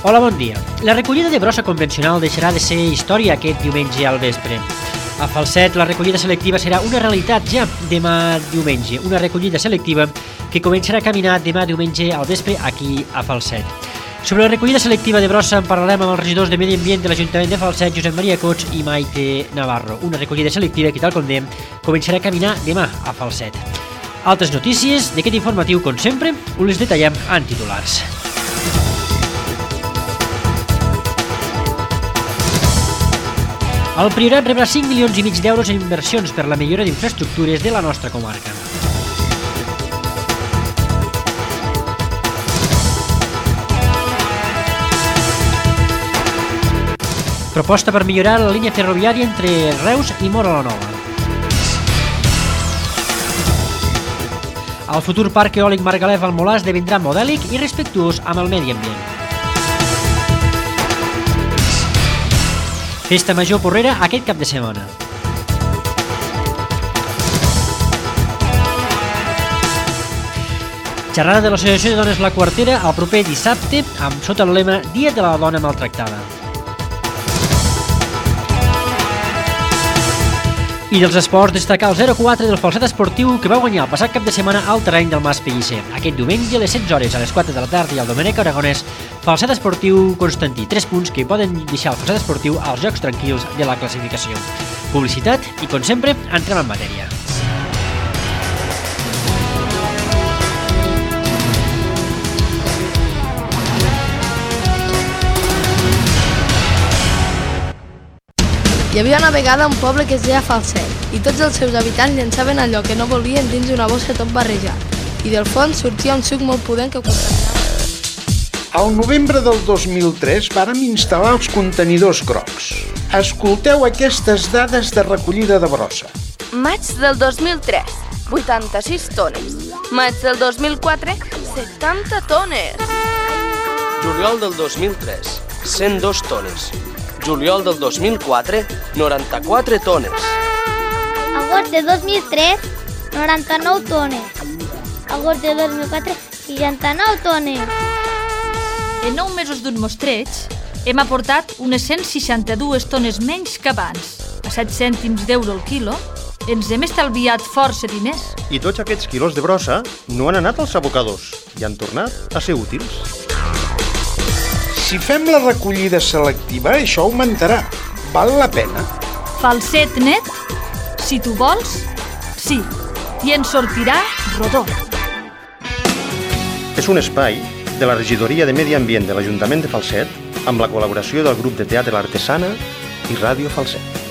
Hola, bon dia. La recollida de brossa convencional deixarà de ser història aquest diumenge al vespre. A Falset, la recollida selectiva serà una realitat ja demà diumenge, una recollida selectiva que començarà a caminar demà diumenge al vespre aquí a Falset. Sobre la recollida selectiva de brossa en parlarem amb els regidors de Medi Ambient de l'Ajuntament de Falset, Josep Maria Cots i Maite Navarro. Una recollida selectiva que, tal com dèiem, començarà a caminar demà a Falset. Altres notícies d'aquest informatiu, com sempre, us les detallem en titulars. El Priorat rebrà 5,5 milions d'euros en inversions per la millora d'infraestructures de la nostra comarca. Proposta per millorar la línia ferroviària entre Reus i Móra la Nova. El futur parc eòlic Margalef al Molar esdevindrà modèlic i respectuós amb el medi ambient. Festa Major Porrera aquest cap de setmana. Xerrada de l'Associació de Dones La Quartera el proper dissabte amb sota el lema Dia de la Dona Maltractada. I dels esports, destacar el 0-4 del Falset Esportiu que va guanyar el passat cap de setmana al terreny del Mas Pellicer. Aquest diumenge a les 16 hores, a les 4 de la tarda i al Domènec Aragonès, Falset Esportiu Constantí. 3 punts que poden deixar el Falset Esportiu als jocs tranquils de la classificació. Publicitat i, com sempre, entrem en matèria. Hi havia una vegada un poble que es deia Falset i tots els seus habitants llançaven allò que no volien dins una bossa tot barrejat i del fons sortia un suc molt pudent que contaminava. Al novembre del 2003 vàrem instal·lar els contenidors grocs. Escolteu aquestes dades de recollida de brossa. Maig del 2003, 86 tones. Maig del 2004, 70 tones. Juliol del 2003, 102 tones. Juliol del 2004, 94 tones. Agost de 2003, 99 tones. Agost de 2004, 69 tones. En 9 mesos d'un mostreig, hem aportat unes 162 tones menys que abans. A 7 cèntims d'euro el quilo, ens hem estalviat força diners. I tots aquests quilos de brossa no han anat als abocadors i han tornat a ser útils. Si fem la recollida selectiva, això augmentarà. Val la pena? Falset net, si tu vols, sí. I en sortirà rodó. És un espai de la Regidoria de Medi Ambient de l'Ajuntament de Falset amb la col·laboració del grup de teatre L'Artesana i Ràdio Falset.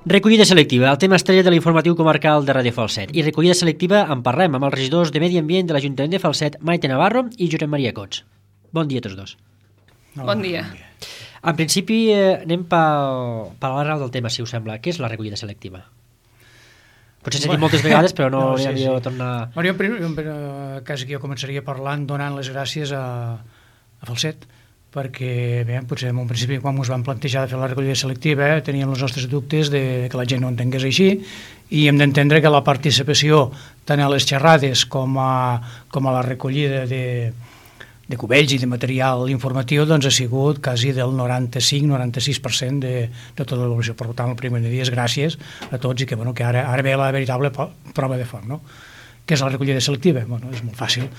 Recollida selectiva, el tema estrella de l'informatiu comarcal de Ràdio Falset. I recollida selectiva en parlem amb els regidors de Medi Ambient de l'Ajuntament de Falset, Maite Navarro i Josep Maria Cots. Bon dia a tots dos. Bon dia. En principi anem per l'arrel del tema, si us sembla. Què és la recollida selectiva? Potser s'ha dit moltes vegades, però no hauria de tornar... Jo quasi que jo començaria parlant, donant les gràcies a Falset, perquè bé, potser en un principi quan ens vam plantejar de fer la recollida selectiva teníem els nostres dubtes de que la gent no entengués així i hem d'entendre que la participació tant a les xerrades com a la recollida de cubells i de material informatiu doncs ha sigut quasi del 95-96% de tota la població. Per tant, el primer dia és gràcies a tots i que, que ara ve la veritable prova de foc. No? Què és la recollida selectiva? És molt fàcil.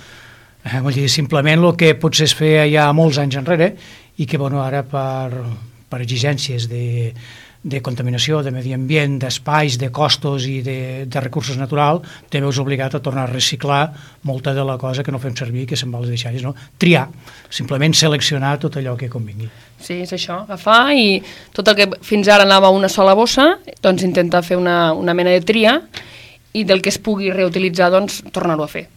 Vull dir, simplement el que potser es feia ja molts anys enrere i que ara per exigències de contaminació, de medi ambient, d'espais, de costos i de recursos naturals, te veus obligat a tornar a reciclar molta de la cosa que no fem servir, que se'n va les deixalles, no? Triar, simplement seleccionar tot allò que convingui. Sí, és això, agafar i tot el que fins ara anava a una sola bossa, doncs intentar fer una mena de tria i del que es pugui reutilitzar, doncs tornar-ho a fer.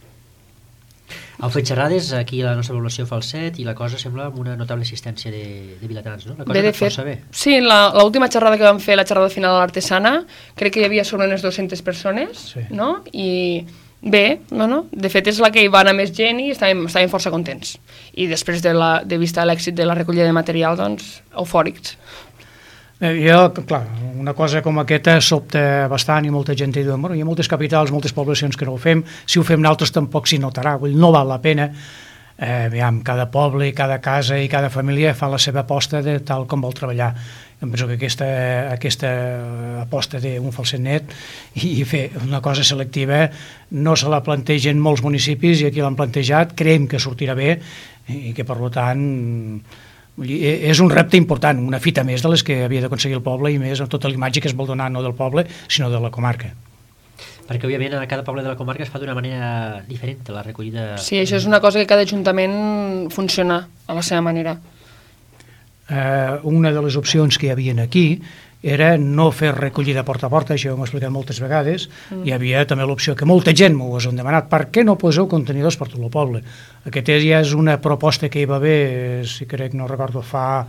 Heu fet xerrades aquí a la nostra població Falset i la cosa sembla amb una notable assistència de vilatans, no? La cosa va força bé. Sí, l'última xerrada que vam fer, la xerrada final a l'Artesana, crec que hi havia sobre unes 200 persones, sí. No? I bé, de fet és la que hi va anar més gent i estàvem força contents. I després de vista l'èxit de la recollida de material, doncs, eufòrics. Clar, una cosa com aquesta sobta bastant i molta gent diu, hi ha moltes capitals, moltes poblacions que no ho fem, si ho fem nosaltres tampoc s'hi notarà, no val la pena. Cada poble, cada casa i cada família fa la seva aposta de tal com vol treballar. Em penso que aquesta aposta d'un falset net i fer una cosa selectiva no se la plantegen molts municipis i aquí l'han plantejat, creiem que sortirà bé i que per tant és un repte important, una fita més de les que havia d'aconseguir el poble i més amb tota l'imatge que es vol donar no del poble sinó de la comarca. Perquè, òbviament, a cada poble de la comarca es fa d'una manera diferent la recollida. Sí, això és una cosa que cada ajuntament funciona a la seva manera. Una de les opcions que hi havia aquí era no fer recollida porta a porta, això ho hem explicat moltes vegades. Hi havia també l'opció que molta gent m'ho han demanat, per què no poseu contenidors per tot el poble? Aquesta ja és una proposta que hi va haver, si crec, no recordo, fa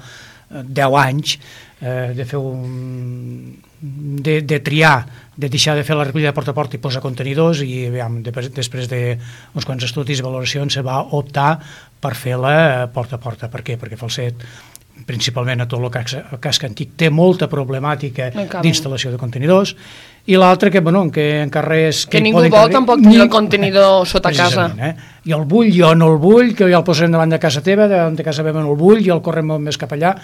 10 anys, de fer de triar, de deixar de fer la recollida porta a porta i posar contenidors i després d'uns quants estudis i valoracions se va optar per fer-la porta a porta. Per què? Perquè Falset, principalment a tot el casc antic, té molta problemàtica d'instal·lació de contenidors i l'altre que en carrers... Que ningú vol tampoc tenir el contenidor sota casa. Jo el vull, jo no el vull, que ja el posarem davant de casa teva, davant de casa meva no el vull, jo el correm més cap allà.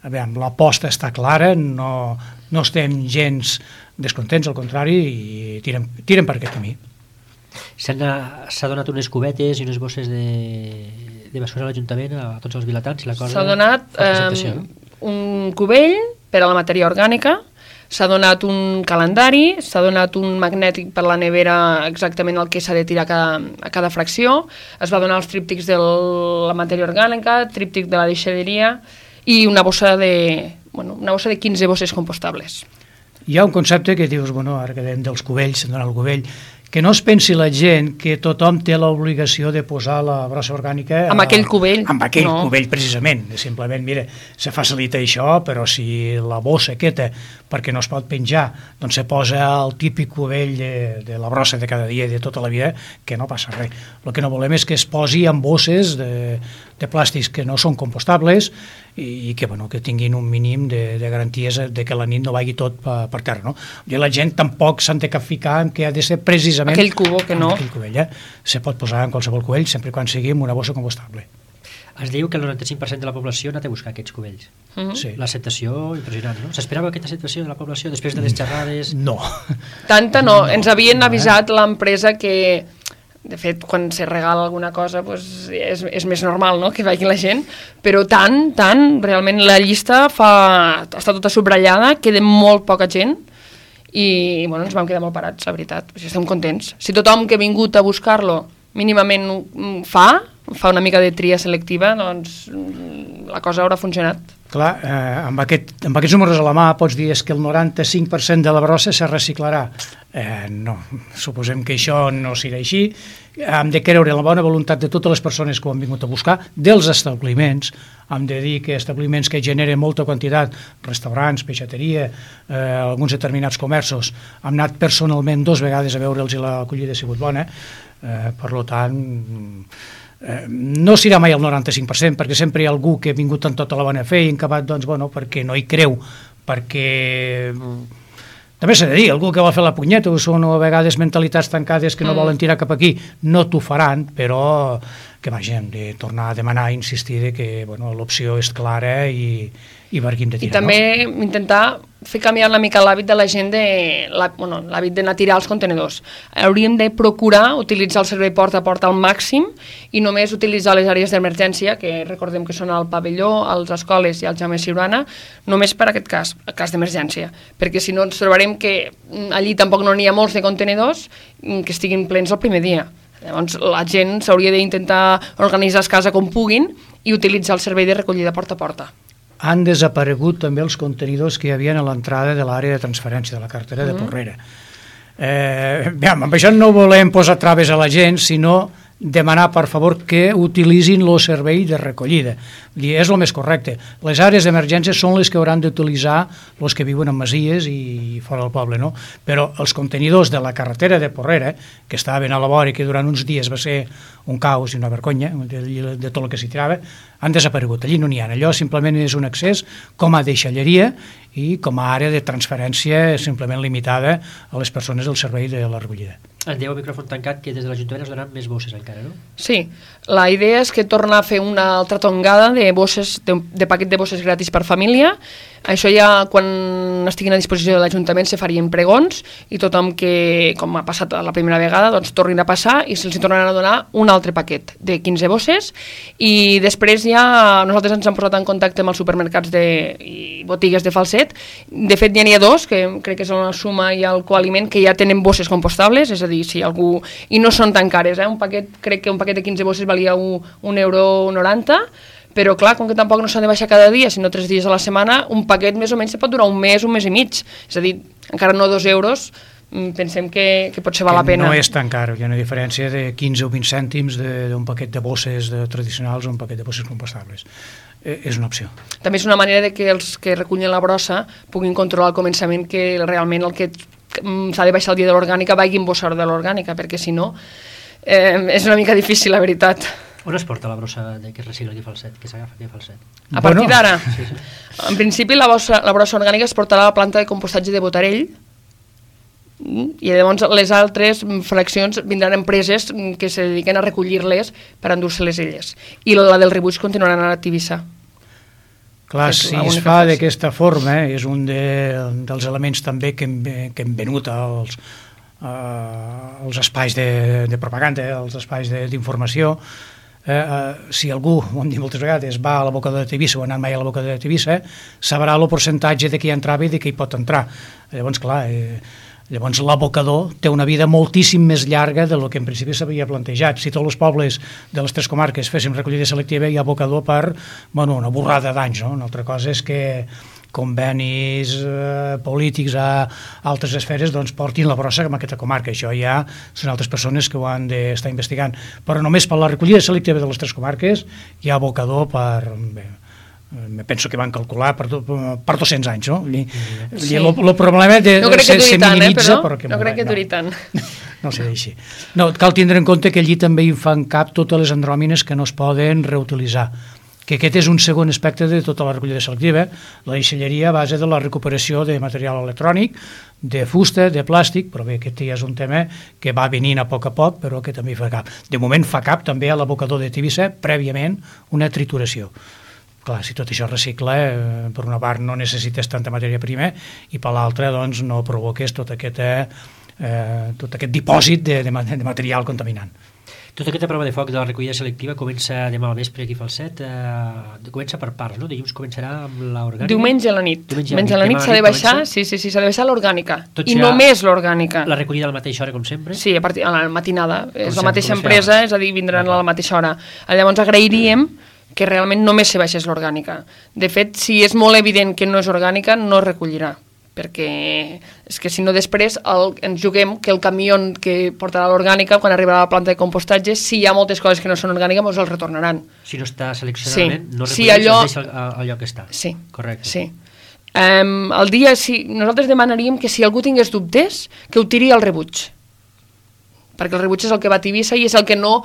L'aposta està clara, no estem gens descontents, al contrari, i tirem per aquest camí. S'ha donat unes cubetes i unes bosses de basura a l'Ajuntament a tots els vilatans? S'ha donat un cubell per a la matèria orgànica, s'ha donat un calendari, s'ha donat un magnètic per la nevera exactament el que s'ha de tirar a cada fracció, es va donar els tríptics de la matèria orgànica, tríptic de la deixalleria i una bossa de 15 bosses compostables. Hi ha un concepte que dius, ara que dèiem dels cubells, s'ha donat el cubell, que no es pensi la gent que tothom té l'obligació de posar la brossa orgànica amb aquell cubell. Amb aquell cubell, precisament. Simplement, mira, se facilita això, però si la bossa aquesta, perquè no es pot penjar, doncs se posa el típic cubell de la brossa de cada dia i de tota la vida, que no passa res. El que no volem és que es posi en bosses de plàstics que no són compostables i que tinguin un mínim de garanties de que la nit no vagi tot per terra. La gent tampoc s'han de ficar en que ha de ser precisament aquell cubó que no. Aquell cubell, se pot posar en qualsevol cubell sempre quan sigui en una bossa compostable. Es diu que el 95% de la població ha anat a buscar aquests cubells. Sí. L'acceptació impressionant, no? S'esperava aquesta acceptació de la població després de les xerrades? No. Tanta no. Ens havien avisat l'empresa que, de fet, quan se regala alguna cosa és més normal, no?, que vagi la gent, però tant, realment la llista està tota subratllada, queda molt poca gent i ens vam quedar molt parats, la veritat. Estem contents. Si tothom que ha vingut a buscar-lo mínimament fa una mica de tria selectiva, doncs la cosa haurà funcionat. Clar, amb aquests números a la mà pots dir que el 95% de la brossa se reciclarà. No, suposem que això no serà així. Hem de creure en la bona voluntat de totes les persones que ho han vingut a buscar, dels establiments. Hem de dir que establiments que generen molta quantitat, restaurants, peixateria, alguns determinats comerços, hem anat personalment 2 vegades a veure'ls i l'acollida ha sigut bona. Per tant, no serà mai el 95%, perquè sempre hi ha algú que ha vingut amb tota la bona fe i acabat, perquè no hi creu, perquè també s'ha de dir, algú que vol fer la punyeta, són a vegades mentalitats tancades que no volen tirar cap aquí, no t'ho faran, però que hem de tornar a demanar, insistir que l'opció és clara i barquim de tirar. I també intentar fer canviar una mica l'hàbit de la gent, l'hàbit d'anar a tirar els contenidors. Hauríem de procurar utilitzar el servei porta a porta al màxim i només utilitzar les àrees d'emergència, que recordem que són al pavelló, a les escoles i al Jaume Siurana, només per aquest cas, el cas d'emergència. Perquè si no ens trobarem que allí tampoc no n'hi ha molts de contenidors que estiguin plens el primer dia. Llavors la gent s'hauria d'intentar organitzar a casa com puguin i utilitzar el servei de recollida porta a porta. Han desaparegut també els contenidors que hi havia a l'entrada de l'àrea de transferència de la carretera de Porrera. Amb això no volem posar traves a la gent, sinó demanar, per favor, que utilitzin el servei de recollida. És el més correcte. Les àrees d'emergència són les que hauran d'utilitzar els que viuen en masies i fora del poble, no? Però els contenidors de la carretera de Porrera, que estaven a la vora i que durant uns dies va ser un caos i una vergonya de tot el que s'hi tirava, han desaparegut. Allí no n'hi ha. Allò simplement és un accés com a deixalleria i com a àrea de transferència simplement limitada a les persones del servei de la recollida. Ens diu el micròfon tancat que des de l'Ajuntament es donaran més bosses encara, no? Sí, la idea és que torna a fer una altra tongada de bosses, de paquet de bosses gratis per família. Això ja, quan estiguin a disposició de l'Ajuntament, se farien pregons i tothom que, com ha passat la primera vegada, doncs tornin a passar i se'ls tornaran a donar un altre paquet de 15 bosses. I després ja nosaltres ens hem posat en contacte amb els supermercats i botigues de Falset. De fet, ja n'hi ha dos, que crec que són la Suma i el Coaliment, que ja tenen bosses compostables, és a dir, si algú... I no són tan cares, un paquet, crec que un paquet de 15 bosses valia €1,90, però clar, com que tampoc no s'han de baixar cada dia, sinó 3 dies a la setmana, un paquet més o menys se pot durar un mes i mig. És a dir, encara no €2, pensem que potser val la pena. No és tan car, hi ha una diferència de 15 o 20 cèntims d'un paquet de bosses tradicionals o un paquet de bosses compostables. És una opció. També és una manera de que els que recullen la brossa puguin controlar al començament que realment el que s'ha de baixar el dia de l'orgànica vagi embossar de l'orgànica, perquè si no és una mica difícil, la veritat. On es porta la brossa que es recicla aquí a Falset, que s'agafa aquí a Falset? A partir d'ara? Sí. En principi la brossa orgànica es portarà a la planta de compostatge de Botarell i llavors les altres fraccions vindran empreses que se dediquen a recollir-les per endur-se-les elles. I la del rebuig continuarà anant a Tivissa. Clar, si es fa d'aquesta forma, és un dels elements també que hem venut als espais de propaganda, als espais d'informació. Si algú, ho hem dit moltes vegades, va a l'abocador de Tivissa o ha anat mai a l'abocador de Tivissa, sabrà el percentatge de qui entrava i de qui pot entrar. Llavors, clar, l'abocador té una vida moltíssim més llarga del que en principi s'havia plantejat. Si tots els pobles de les 3 comarques féssim recollida selectiva, hi ha abocador per una borrada d'anys. Una altra cosa és que convenis polítics a altres esferes portin la brossa en aquesta comarca. Això ja són altres persones que ho han d'estar investigant. Però només per la recollida selectiva de les 3 comarques hi ha abocador per... penso que van calcular per 200 anys, no? El problema se minimitza, però... No crec que duri tant. No sé així. No, cal tindre en compte que allí també hi fan cap totes les andròmines que no es poden reutilitzar, que aquest és un segon aspecte de tota la recollida selectiva, la deixalleria a base de la recuperació de material electrònic, de fusta, de plàstic, però bé, aquest ja és un tema que va venint a poc, però que també fa cap. De moment fa cap també a l'abocador de Tivissa, prèviament una trituració. Clar, si tot això es recicla, per una part no necessites tanta matèria prima i per l'altra doncs, no provoques tot aquest dipòsit de material contaminant. Tota aquesta prova de foc de la recollida selectiva comença demà al vespre aquí a Falset, comença per parts, no? Dilluns començarà amb l'orgànica. Diumenge a la nit. Diumenge a la nit s'ha de baixar, s'ha de baixar l'orgànica. I només l'orgànica. La recollida a la mateixa hora, com sempre? Sí, a la matinada. És la mateixa empresa, és a dir, vindran a la mateixa hora. Llavors agrairíem que realment només se baixés l'orgànica. De fet, si és molt evident que no és orgànica, no es recollirà, perquè és que si no després ens juguem que el camió que portarà l'orgànica, quan arribarà a la planta de compostatge, si hi ha moltes coses que no són orgàniques, ens els retornaran. Si no està seleccionadament, no recolleix, es deixa al lloc que està. Sí. Correcte. Sí. El dia, nosaltres demanaríem que si algú tingués dubtes, que ho tiri al rebuig, perquè el rebuig és el que va a Tivissa i és el que no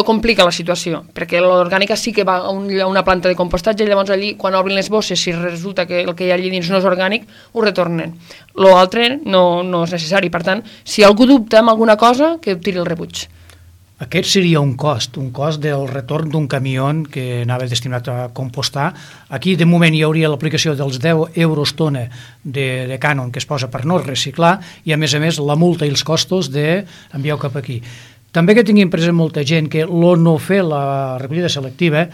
complica la situació, perquè l'orgànica sí que va a una planta de compostatge i llavors allí, quan obrin les bosses, si resulta que el que hi ha allí dins no és orgànic, ho retornen. L'altre no és necessari. Per tant, si algú dubta amb alguna cosa, que ho tiri el rebuig. Aquest seria un cost del retorn d'un camió que anava destinat a compostar. Aquí, de moment, hi hauria l'aplicació dels 10 euros tona de cànon que es posa per no reciclar i, a més, la multa i els costos d'enviar-ho cap aquí. També que tinguin present molta gent que no fer la recollida selectiva,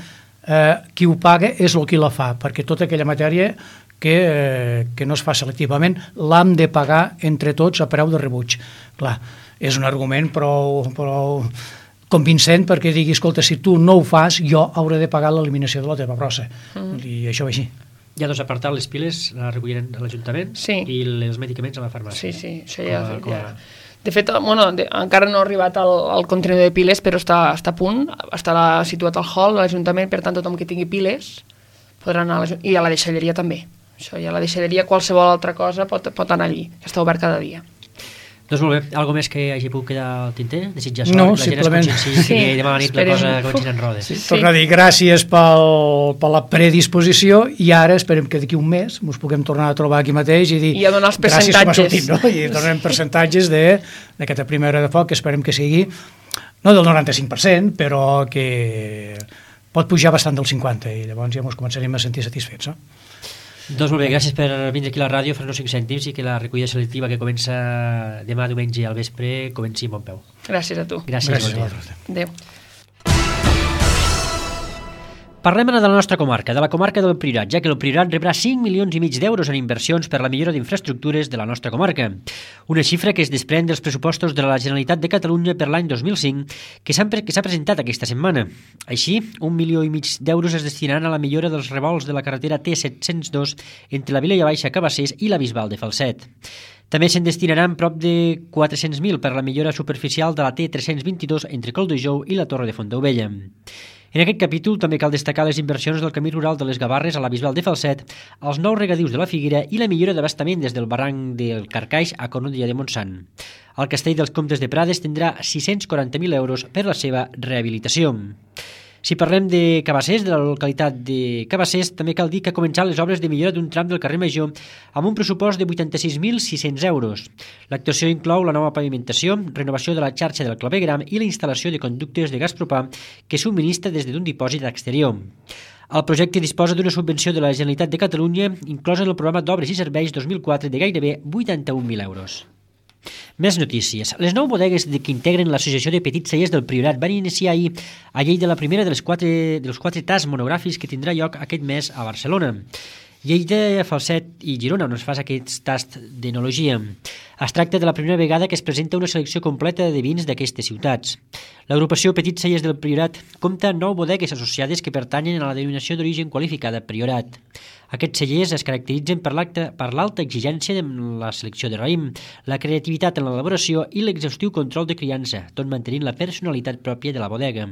qui ho paga és el qui la fa, perquè tota aquella matèria que no es fa selectivament l'hem de pagar entre tots a preu de rebuig. Clar, és un argument prou convincent perquè digui, escolta, si tu no ho fas, jo hauré de pagar l'eliminació de la teva brossa. I això va així. Hi ha dos apartats, les piles la recolliran a l'Ajuntament i els medicaments a la farmàcia. Sí, això ja... De fet, encara no ha arribat el contenidor de piles, però està a punt, estarà situat al hall de l'Ajuntament, per tant, tothom que tingui piles podrà anar i a la deixalleria també. Això, i a la deixalleria qualsevol altra cosa pot anar allí, que està obert cada dia. Doncs molt bé, algo més que hagi pogut quedar al tinter? Desitjar sort? No, la simplement... gent es conscienciï que demà a la nit la cosa comenci en rodes. Torno a dir gràcies per la predisposició i ara esperem que d'aquí un mes ens puguem tornar a trobar aquí mateix i dir a donar els percentatges. Gràcies com ha sortit, no? I donem percentatges d'aquesta primera hora de foc, que esperem que sigui no del 95%, però que pot pujar bastant del 50% i llavors ja ens començarem a sentir satisfets, no? Doncs molt bé, gràcies per vindre aquí a la ràdio, fer-nos 5 cèntims i que la recollida selectiva que comença demà diumenge al vespre comenci amb bon peu. Gràcies a tu. Gràcies. Adéu. Parlem ara de la nostra comarca, de la comarca del Priorat, ja que el Priorat rebrà 5,5 milions d'euros en inversions per la millora d'infraestructures de la nostra comarca. Una xifra que es desprèn dels pressupostos de la Generalitat de Catalunya per l'any 2005, que s'ha presentat aquesta setmana. Així, 1,5 milions d'euros es destinaran a la millora dels revolts de la carretera T702 entre la Vilella Baixa Cabassers i la Bisbal de Falset. També se'n destinaran prop de 400.000 per la millora superficial de la T322 entre Colldejou i la Torre de Fontaubella. En aquest capítol també cal destacar les inversions del camí rural de les Gavarres a la Bisbal de Falset, els nous regadius de la Figuera i la millora d'abastament des del barranc del Carcaix a Cornudella de Montsant. El Castell dels Comtes de Prades tindrà 640.000 euros per la seva rehabilitació. Si parlem de Cabassers, de la localitat de Cabassers, també cal dir que ha començat les obres de millora d'un tram del carrer Major amb un pressupost de 86.600 euros. L'actuació inclou la nova pavimentació, renovació de la xarxa del clavegram i la instal·lació de conductes de gas propà que subministra des d'un dipòsit exterior. El projecte disposa d'una subvenció de la Generalitat de Catalunya inclosa en el programa d'Obres i Serveis 2004 de gairebé 81.000 euros. Més notícies. Les 9 bodegues que integren l'Associació de Petits Cellers del Priorat van iniciar ahir a Lleida la primera dels 4 tasts monogràfics que tindrà lloc aquest mes a Barcelona. Lleida, Falset i Girona, on es fa aquest tast d'enologia. Es tracta de la primera vegada que es presenta una selecció completa de vins d'aquestes ciutats. L'agrupació Petits Cellers del Priorat compta 9 bodegues associades que pertanyen a la denominació d'origen qualificada Priorat. Aquests cellers es caracteritzen per l'alta exigència en la selecció de raïm, la creativitat en l'elaboració i l'exhaustiu control de criança, tot mantenint la personalitat pròpia de la bodega.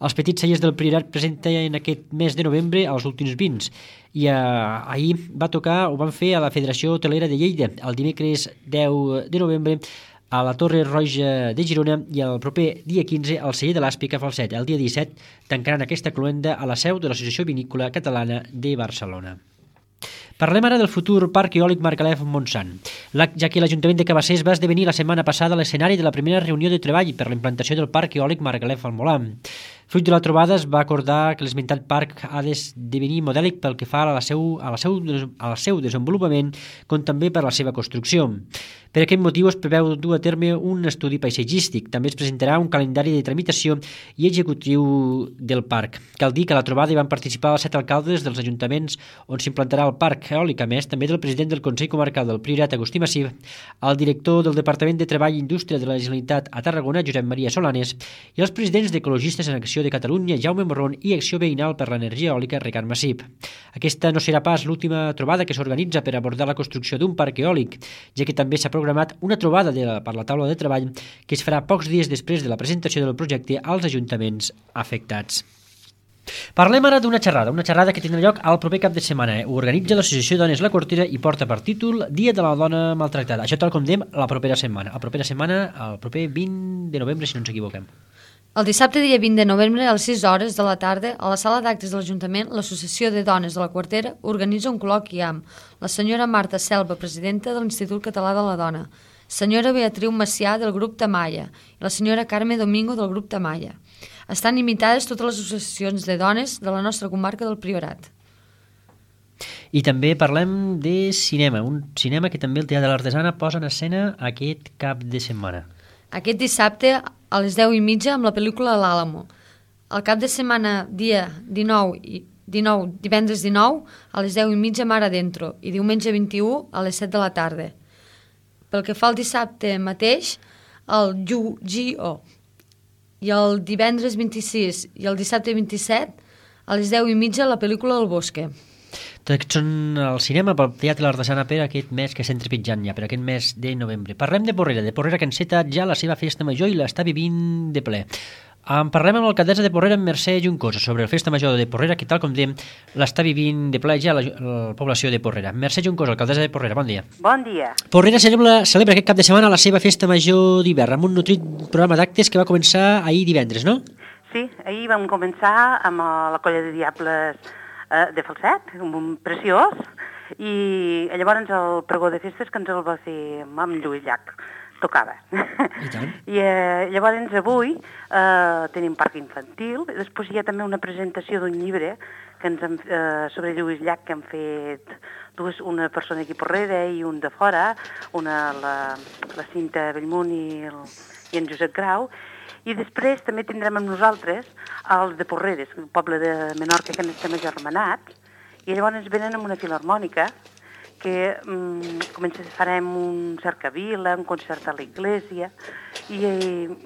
Els Petits Cellers del Priorat presenten aquest mes de novembre els últims vins i ahir van fer a la Federació Hotelera de Lleida el dimecres 10 de novembre a la Torre Roja de Girona i el proper dia 15 al celler de l'Àspic a Falset. El dia 17 tancaran aquesta cloenda a la seu de l'Associació Vinícola Catalana de Barcelona. Parlem ara del futur Parc Eòlic Margalef-Montsant, ja que l'Ajuntament de Cabassers va esdevenir la setmana passada l'escenari de la primera reunió de treball per la implantació del Parc Eòlic Margalef al Molar. Fruit de la trobada es va acordar que l'esmentat parc ha d'esdevenir modèlic pel que fa al seu desenvolupament com també per la seva construcció. Per aquest motiu es preveu dur a terme un estudi paisatgístic. També es presentarà un calendari de tramitació i executiu del parc. Cal dir que a la trobada hi van participar els 7 alcaldes dels ajuntaments on s'implantarà el parc eòlic, a més també del president del Consell Comarcal del Priorat, Agustí Massip, el director del Departament de Treball i Indústria de la Generalitat a Tarragona, Josep Maria Solanes, i els presidents d'Ecologistes en Acció de Catalunya, Jaume Morron, i Acció Veïnal per l'Energia Eòlica, Ricard Massip. Aquesta no serà pas l'última trobada que s'organitza per abordar la construcció d'un parc eòlic, ja que també s'ha programat una trobada per la taula de treball que es farà pocs dies després de la presentació del projecte als ajuntaments afectats. Parlem ara d'una xerrada que tindrà lloc al proper cap de setmana. Ho organitza l'Associació Dones La Cortera i porta per títol Dia de la Dona Maltractada. Això tal com dèiem la propera setmana. El proper 20 de novembre, si no ens equivoquem. El dissabte dia 20 de novembre a les 6 hores de la tarda, a la sala d'actes de l'Ajuntament, l'Associació de Dones de la Quartera organitza un col·loqui amb la senyora Marta Selva, presidenta de l'Institut Català de la Dona, senyora Beatriu Macià del grup Tamalla i la senyora Carme Domingo del grup Tamalla. Estan invitades totes les associacions de dones de la nostra comarca del Priorat. I també parlem de cinema, un cinema que també el Teatre de l'Artesana posa en escena aquest cap de setmana. Aquest dissabte a les 10:30 amb la pel·lícula L'Àlamo. El cap de setmana dia 19, divendres 19 a les 10:30 Mar Adentro i diumenge 21 a les 7 de la tarda. Pel que fa al dissabte mateix, el Yu-Gi-Oh! I el divendres 26 i el dissabte 27 a les 10:30 la pel·lícula El Bosque. Tots són al cinema pel Teatre de l'Artesana per aquest mes que estem trepitjant ja, per aquest mes de novembre. Parlem de Porrera que ha encetat ja la seva festa major i l'està vivint de ple. En parlem amb l'alcaldessa de Porrera, Mercè Juncosa, sobre el Festa Major de Porrera, que tal com diem, l'està vivint de ple ja la població de Porrera. Mercè Juncosa, alcaldessa de Porrera, bon dia. Bon dia. Porrera celebra aquest cap de setmana la seva Festa Major d'hivern, amb un nutrit programa d'actes que va començar ahir divendres, no? Sí, ahir vam començar amb la colla de diables de Falset, un preciós, i llavors el pregó de festes que ens el va fer amb Lluís Llach. Tocava. I llavors avui tenim parc infantil, i després hi ha també una presentació d'un llibre que sobre Lluís Llach que han fet una persona aquí a Porrera i un de fora, la Cinta Bellmunt i en Josep Grau, i després també tindrem amb nosaltres els de Porreres, el poble de Menorca que estem agermanats, i llavors venen amb una filarmònica que farem un cercavila, un concert a l'església i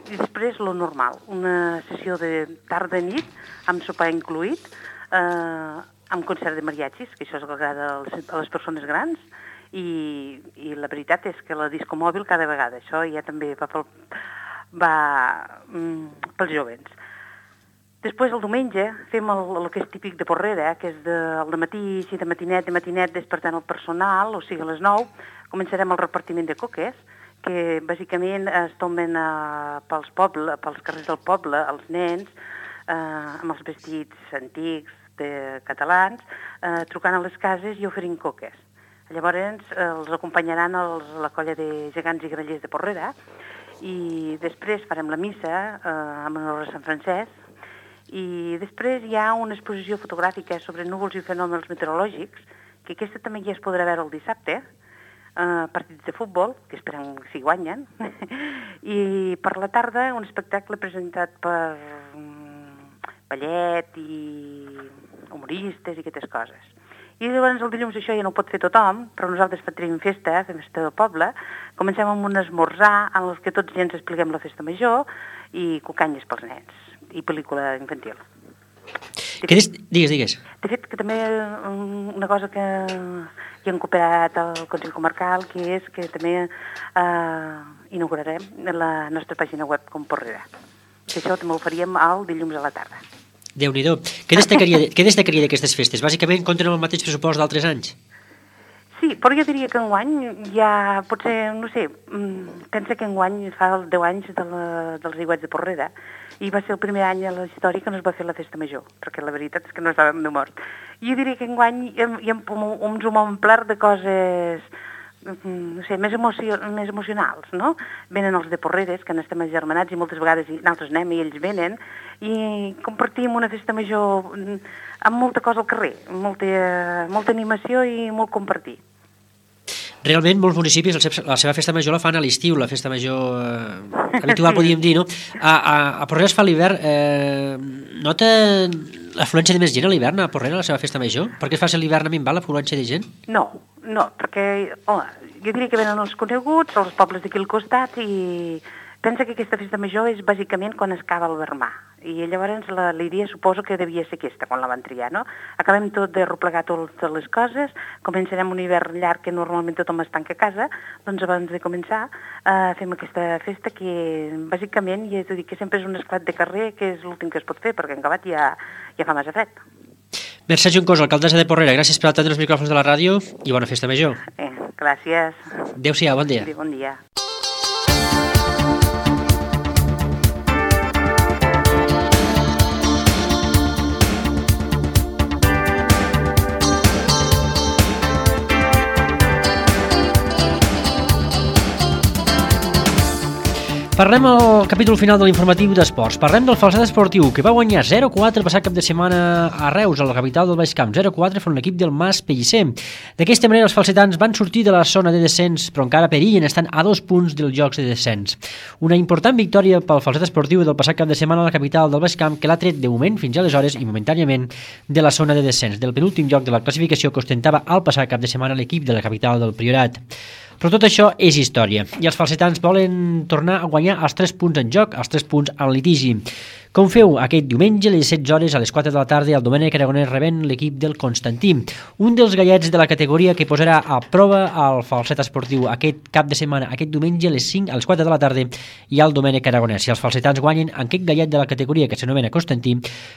després lo normal, una sessió de tarda-nit amb sopar incluït, amb concert de mariachis, que això és el que agrada a les persones grans, i la veritat és que la disco mòbil cada vegada, això ja també va pels jovens. Després, el diumenge, fem el que és típic de Porrera, que és el matí, de matinet, despertant el personal, o sigui, a les 9, començarem el repartiment de coques, que bàsicament es tomben pels carrers del poble, els nens, amb els vestits antics catalans, trucant a les cases i oferint coques. Llavors, els acompanyaran la colla de gegants i grallers de Porrera, i després farem la missa amb honor a Sant Francesc, i després hi ha una exposició fotogràfica sobre núvols i fenòmens meteorològics, que aquesta també ja es podrà veure el dissabte, partits de futbol, que esperem si guanyen, i per la tarda un espectacle presentat per ballet i humoristes i aquestes coses. I llavors el dilluns això ja no ho pot fer tothom, però nosaltres tenim festa del poble, comencem amb un esmorzar en el que tots ja ens expliquem la festa major i cucanyes pels nens i pel·lícula infantil. Digues. De fet, que també una cosa que hi han cooperat al Consell Comarcal, que és que també inaugurarem la nostra pàgina web com Porrera. Que això també ho faríem el dilluns a la tarda. Déu-n'hi-do. Què destacaria d'aquestes festes? Bàsicament compten amb el mateix pressupost d'altres anys? Sí, però jo diria que enguany ja potser, no sé, pensa que enguany fa 10 anys dels Aiguats de Porrera i va ser el primer any a la història que no es va fer la festa major, perquè la veritat és que no estàvem de mort. Jo diria que enguany ens ho hem omplert de coses, no sé, més emocionals, no? Venen els de Porreres, que n'estem agermanats i moltes vegades nosaltres anem i ells venen, i compartim una festa major amb molta cosa al carrer, molta animació i molt compartir. Realment, molts municipis la seva festa major la fan a l'estiu, la festa major habitual, podríem dir, no? A Porrera es fa a l'hivern. Nota l'afluència de més gent a l'hivern a Porrera, a la seva festa major? Per què es fa a l'hivern a minvar l'afluència de gent? No, perquè jo diria que venen els coneguts, els pobles d'aquí al costat, i pensa que aquesta festa major és bàsicament quan es cava el vermà. I llavors la idea suposo que devia ser aquesta, quan la van triar, no? Acabem tot de replegar totes les coses, començarem un hivern llarg que normalment tothom es tanca a casa, doncs abans de començar fem aquesta festa que bàsicament, ja t'ho dic, que sempre és un esclat de carrer, que és l'últim que es pot fer, perquè en acabat ja fa massa fred. Mercè Juncosa, alcaldessa de Porrera, gràcies per atendre els micròfons de la ràdio i bona festa major. Gràcies. Adéu-siau, bon dia. Bon dia. Parlem al capítol final de l'informatiu d'esports. Parlem del Falset Esportiu, que va guanyar 0-4 el passat cap de setmana a Reus, a la capital del Baix Camp. 0-4 front l'equip del Mas Pellicer. D'aquesta manera, els falsetans van sortir de la zona de descens, però encara perillen, estan a 2 punts dels jocs de descens. Una important victòria pel Falset Esportiu del passat cap de setmana a la capital del Baix Camp, que l'ha tret de moment fins aleshores i momentàniament de la zona de descens, del penúltim lloc de la classificació que ostentava el passat cap de setmana l'equip de la capital del Priorat. Però tot això és història, i els falsetans volen tornar a guanyar els 3 punts en joc, els 3 punts en litigi. Com feu aquest diumenge a les 16 hores a les 4 de la tarda el Domènec Aragonès rebent l'equip del Constantí, un dels gallets de la categoria que posarà a prova el falset esportiu aquest cap de setmana, aquest diumenge a les 4 de la tarda hi ha el Domènec Aragonès. Si els falsetans guanyen en aquest gallet de la categoria que s'anomena Constantí,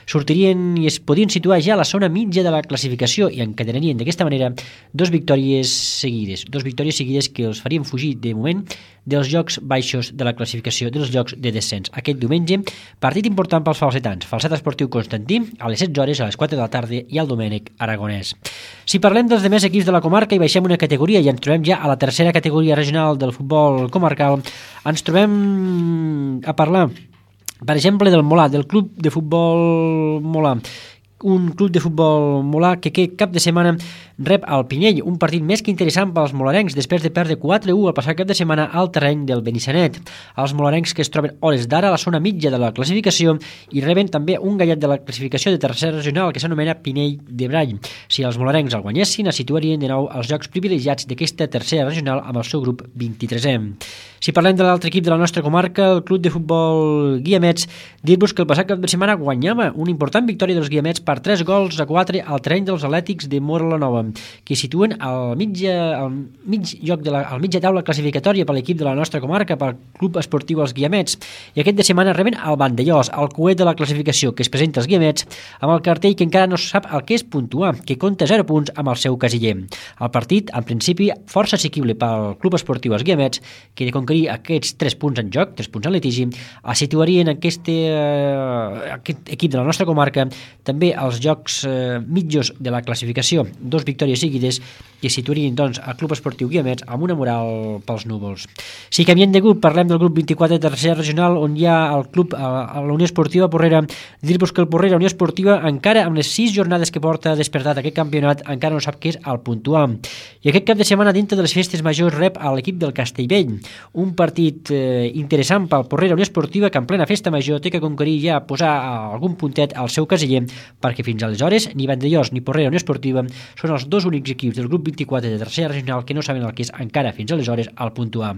sortirien i es podien situar ja a la zona mitja de la classificació i encadenarien d'aquesta manera dues victòries seguides que els farien fugir de moment dels llocs baixos de la classificació, dels llocs de descens. Aquest diumenge, partit important pels falsetans. Falset esportiu Constantí, a les 16 hores, a les 4 de la tarda, i el Domènec Aragonès. Si parlem dels demés equips de la comarca i baixem una categoria i ens trobem ja a la tercera categoria regional del futbol comarcal, ens trobem a parlar, per exemple, del Molà, del club de futbol Molà. Un club de futbol molà que aquest cap de setmana rep el Pinyell, un partit més que interessant pels molarencs després de perdre 4-1 el passat cap de setmana al terreny del Benissanet. Els molarencs que es troben hores d'ara a la zona mitja de la classificació i reben també un gallet de la classificació de tercera regional que s'anomena Pinell de Brall. Si els molarencs el guanyessin, es situarien de nou als llocs privilegiats d'aquesta tercera regional amb el seu grup 23è. Si parlem de l'altre equip de la nostra comarca, el club de futbol Guiamets, dir-vos que el passat cap de setmana guanyava una important victòria dels Guiamets per 3-4 al terreny dels Atlètics de Móra la Nova, que situen al mitja taula classificatòria per l'equip de la nostra comarca, pel club esportiu Els Guiamets. I aquest de setmana reben el Vandellós, el coet de la classificació que es presenta als Guiamets, amb el cartell que encara no sap el que és puntuar, que compta 0 punts amb el seu casiller. El partit, en principi, força assequible pel club esportiu Els Guiamets, que de conquerir aquests 3 punts en joc, 3 punts en litigi, es situarien aquest equip de la nostra comarca també als jocs mitjos de la classificació, 2 victòries seguides que situarien doncs el club esportiu Guiamets amb una moral pels núvols. Si canviem de grup, parlem del grup 24 de tercera regional, on hi ha el club a la Unió Esportiva Porrera. Dir-vos que el Porrera Unió Esportiva, encara amb les 6 jornades que porta despertat aquest campionat, encara no sap què és el puntuar. I aquest cap de setmana, dintre de les festes majors, rep a l'equip del Castellvell, un partit interessant pel Porrera Unió Esportiva, que en plena festa major té que conquerir ja posar algun puntet al seu casiller, perquè fins aleshores ni Vandellós ni Porrera Unió Esportiva són els dos únics equips del grup 24 de tercera regional que no saben el que és encara fins aleshores el puntuar.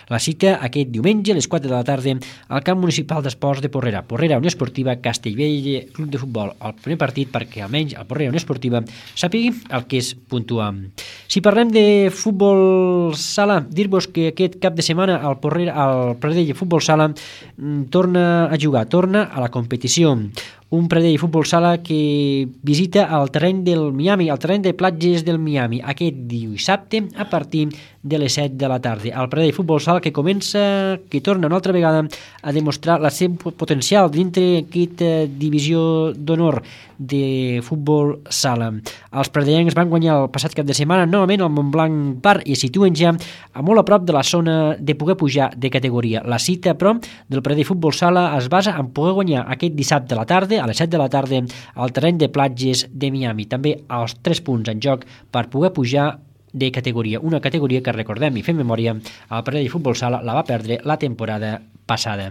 La cita aquest diumenge a les 4 de la tarda al camp municipal d'esports de Porrera. Porrera Unió Esportiva, Castellvell Club de Futbol. El primer partit perquè almenys el Porrera Unió Esportiva sàpigui el que és puntuar. Si parlem de futbol sala, dir-vos que aquest cap de setmana el Pradell Futbol Sala torna a jugar, torna a la competició. Un Pradell Futbol Sala que visita el terreny del Miami, el terreny de platges del Miami, aquest dissabte a partir de les 7 de la tarda. El Pradell Futbol Sala que torna una altra vegada a demostrar la seu potencial dintre aquesta divisió d'honor de futbol sala. Els pradellencs van guanyar el passat cap de setmana novament al Montblanc Park i es situen ja a molt a prop de la zona de poder pujar de categoria. La cita, però, del Pradell Futbol Sala es basa en poder guanyar aquest dissabte a la tarda, a les 7 de la tarda, al terreny de platges de Miami. També els 3 punts en joc per poder pujar de categoria. Una categoria que, recordem i fem memòria, el Pradell Futbol Sala la va perdre la temporada passada.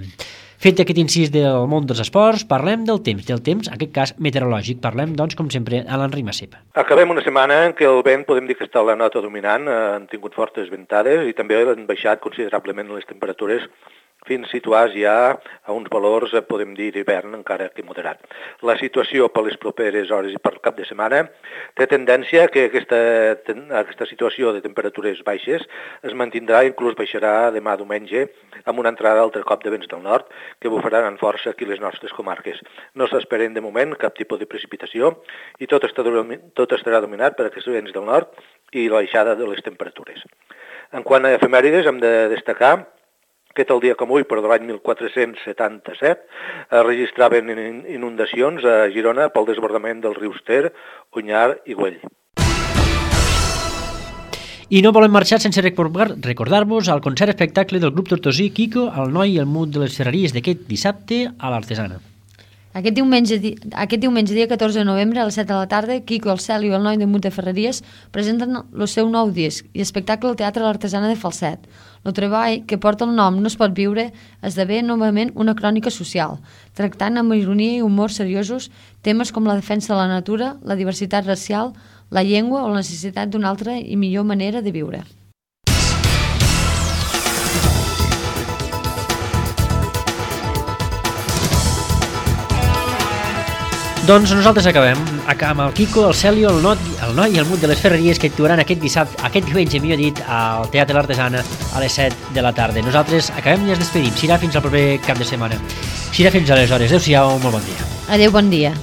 Fet aquest incís del món dels esports, parlem del temps, en aquest cas meteorològic. Parlem, doncs, com sempre, a l'Enric Massip. Acabem una setmana en què el vent podem dir que està a la nota dominant, han tingut fortes ventades i també han baixat considerablement les temperatures fins situats ja a uns valors, podem dir, d'hivern encara que moderat. La situació per les properes hores i per cap de setmana té tendència que aquesta situació de temperatures baixes es mantindrà i inclús baixarà demà diumenge amb una entrada altre cop de vents del nord que bufaran amb força aquí les nostres comarques. No s'esperen de moment cap tipus de precipitació i tot estarà dominat per aquests vents del nord i la baixada de les temperatures. En quant a efemèrides, hem de destacar que tal dia com avui, però de l'any 1477, es registraven inundacions a Girona pel desbordament dels rius Ter, Onyar i Güell. I no volem marxar sense recordar-vos el concert espectacle del grup tortosí Quico, el noi i el mut de les ferreries d'aquest dissabte a l'Artesana. Aquest diumenge, dia 14 de novembre, a les 7 de la tarda, Quico, el Cel i el noi de Mut de Ferreries presenten el seu nou disc i espectacle al Teatre l'Artesana de Falset. El treball, que porta el nom No es pot viure, esdevé novament una crònica social, tractant amb ironia i humor seriosos temes com la defensa de la natura, la diversitat racial, la llengua o la necessitat d'una altra i millor manera de viure. Doncs nosaltres acabem amb el Quico, el Celio, el Noi i el Mut de les Ferreries que actuaran aquest diumenge, millor dit, al Teatre l'Artesana a les 7 de la tarda. Nosaltres acabem i ens despedim. Serà fins al proper cap de setmana. Serà fins aleshores. Adéu-siau, molt bon dia. Adéu, bon dia.